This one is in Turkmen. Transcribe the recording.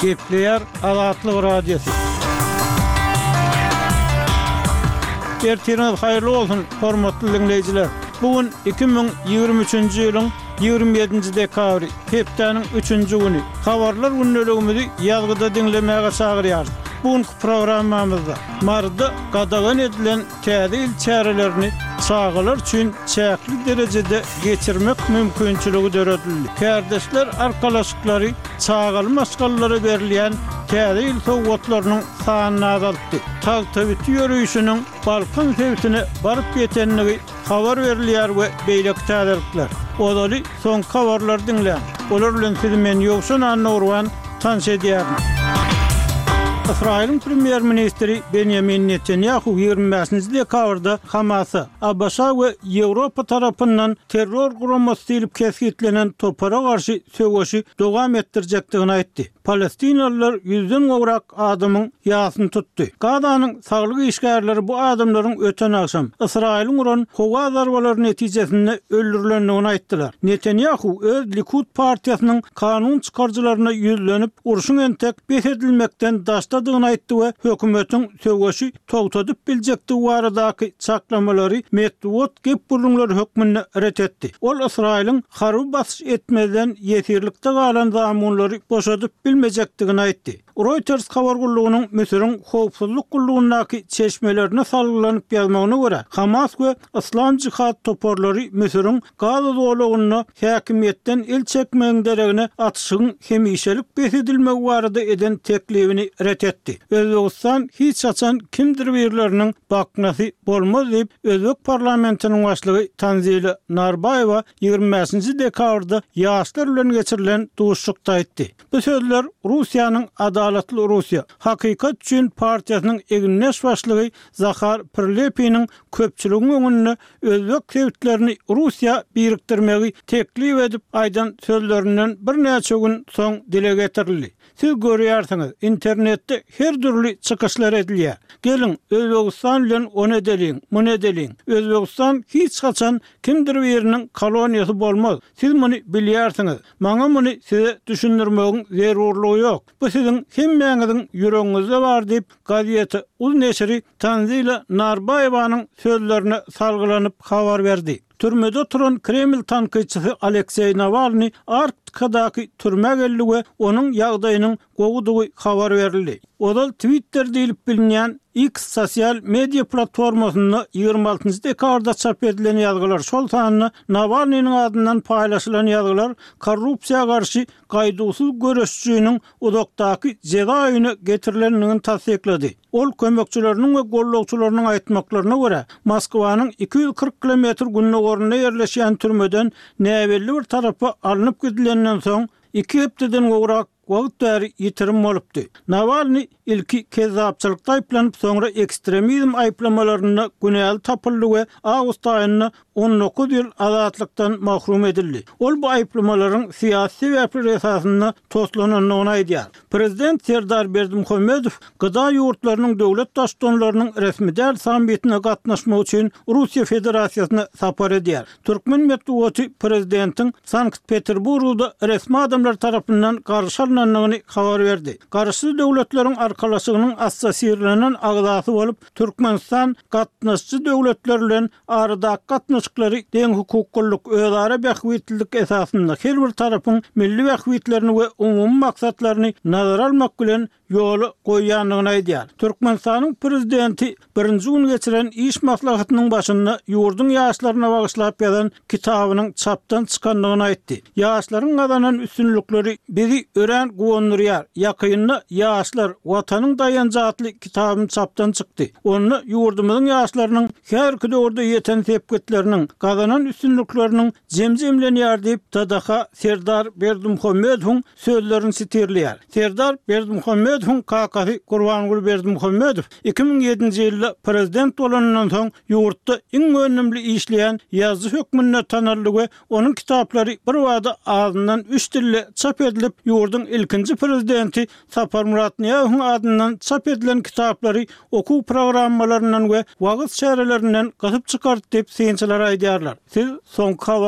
Gepleýär Azatlyk Radiosy. Ertiriňiz haýyrly bolsun, hormatly diňleýjiler! Bu gün 2023-nji ýylyň 27-nji dekabry, hepdäniň üçünji güni. Habarlar gündeligimizi ýazgyda diňlemäge çagyrýarys. Bu günki programmamyzda Maryda gadagan edilen Täze ýyl çärelerini çagalar üçin çäkli derejede geçirmek mümkinçiligi döredildi. Kärdeşler arkalaşyklary çagaly maşgalalara berilýän Täze ýyl sowgatlarynyň sanyny azaltdy. Tagtabiti ýörişiniň Balkan sebitine baryp ýetendigi habar berilýär we beýleki täzelikler. Ozaly soňky habarlary diňläň. Olar bilen sizi men Ýowşan Annagurban tanyş edýärin. Ysraýylyň premýer-ministri Benýamin Netanýahu 25-nji dekabrda Hamasa, ABŞ we Ýewropa tarapyndan terror guramasy diýlip kesgitlenen topara garşy söweşi dowam etdirjekdigini aýtdy. Palestinalylar ýüzden gowrak adamyň ýasyny tutdy. Gazanyň saglyk işgärleri bu adamlaryň öten agşam, Ysraýylyň uran howa zarbalary netijesinde öldürilendigini aýtdylar. Netanýahu öz Likud partiýasynyň kanun çykaryjylaryna ýüzlenip, urşuň entek bes edilmekden daşdadygyny aýtdy we hökümetiň söweşi togtadyp biljekdigi baradaky çaklamalary metbugat gep-gürrüňleri hökmünde ret etdi. Ol Ysraýylyň harby basyş etmezden ýesirlikde galan zamunlary boşadyp bilmejekdigini aýtdy. Reuters habar gullugynyň Müsüriň howpsuzlyk gullugyndaky çeşmelerine salgylanyp ýazmagyna görä, Hamas we Yslam jihad toparlary Müsüriň Gaza zolagynda häkimiýetden el çekmegiň deregine atyşygyň hemişelik bes edilmegi barada eden teklibini ret etdi. Özbegistan hiç haçan kimdir birleriniň baknasy bolmaz diýip, özbek parlamentiniň başlygy Tanzila Narbaýewa 25-nji dekabrda ýaşlar bilen geçirilen duşuşykda aýtdy. Bu sözler Russiýanyň Adalatly Russiýa, Hakykat üçin partiýasynyň egindeş başlygy Zahar Prilepiniň köpçüligiň öňünde özbek sebitlerini Russiýa birikdirmegi teklip edip aýdan sözlerinden birnäçe gün soň dile getirildi. Siz görýärsiňiz, internetde her dürli çykyşlar edilýär. Geliň, Özbegistan bilen ony edeliň, muny edeliň. Özbegistan hiç haçan kimdir biriniň koloniýasy bolmaz. Siz muny bilýärsiňiz. Maňa muny size düşündirmegiň zerurlygy ýok. Bu siziň hemmäňiziň ýüregiňizde bar diýip, Gazeta uz neşiri Tanzila Narbaýewanyň sözlerine salgylanyp habar berdi. Türmede oturan Kreml tankytçysy Alekseý Nawalnyý Arktikadaky türmä geldi we onuň ýagdaýynyň gowudygy habar berildi. Ozal Twitter diýlip bilinýän X sosial media platformasynda 26 dekabrda çap edilen ýazgylar, şol sanda Nawalnynyň adyndan paýlaşylan ýazgylar korrupsiýa garşy gaýduwsyz göreşijiniň uzakdaky jeza öýüne getirilendigini tassyklady. Ol kömekçileriniň we gollagçylarynyň aýtmaklaryna görä, Moskwanyň 240 kilometr gündogarynda ýerleşýän türmeden näbelli bir tarapa alnyp gidilenden soň, iki hepdeden gowrak wagt bäri ýitirim bolupdy. Nawalnyý ilki kezzapçylykda aýyplanyp, soňra ekstremizm aýyplamalarynda günäli tapyldy we awgust aýynda 19 ýyl azatlykdan mahrum edildi. Ol bu aýyplamalaryň syýasy sebäpler esasynda toslanandygyny aýdýar. Prezident Serdar Berdimuhamedow GDA ýurtlarynyň döwlet Baştutanlarynyň resmi däl sammitine gatnaşmak üçin Russiýa Federasiýasyna sapar edýär. Türkmen metbugaty prezidentiň Sankt-Peterburgda resmi adamlar tarapyndan garşy alnandygyny habar berdi. Garaşsyz Döwletleriň Arkalaşygynyň assosirlenen agzasy bolup, Türkmenistan gatnaşyjy döwletler bilen aradaky gatnaşyklary deňhukuklylyk, özara bähbitlilik esasynda her bir tarapyň milli bähbitlerini we umumy maksatlaryny nazara almak bilen ýola goýýandygyny aýdýar. Türkmenistanyň Prezidenti birinji gün geçiren iş maslahatynyň başynda ýurduň ýaşlaryna bagyşlap ýazan kitabynyň çapdan çykandygyny aýtdy. Ýaşlaryň gazanan üstünlikleri bizi örän guwandyrýar. Ýakynda Ýaşlar, Watanyň daýanjy atly kitabym çapdan çykdy. Onda ýurdumyzyň ýaşlarynyň häzirki döwürde ýeten sepgitleriniň, gazanan üstünlikleriniň jemi jemlenýär diýip, TDH Serdar Berdimuhamedowyň sözlerini sitirleýär. Serdar Berdimuhamedowyň kakasy Gurbanguly Berdimuhamedow 2007-nji ýylda prezident bolanyndan soň ýurtda iň önümli işleýän ýazyjy hökmünde tanaldy we onuň kitaplary birbada azyndan üç dilde çap edilip, ýurduň ilkinji prezidenti Saparmyrat Nyýazowyň adyndan çap edilen kitaplary okuw programmalaryndan we wagyz çärelerinden gysyp çykardy diýip, synçylar aýdýarlar. Siz soňky habarlar.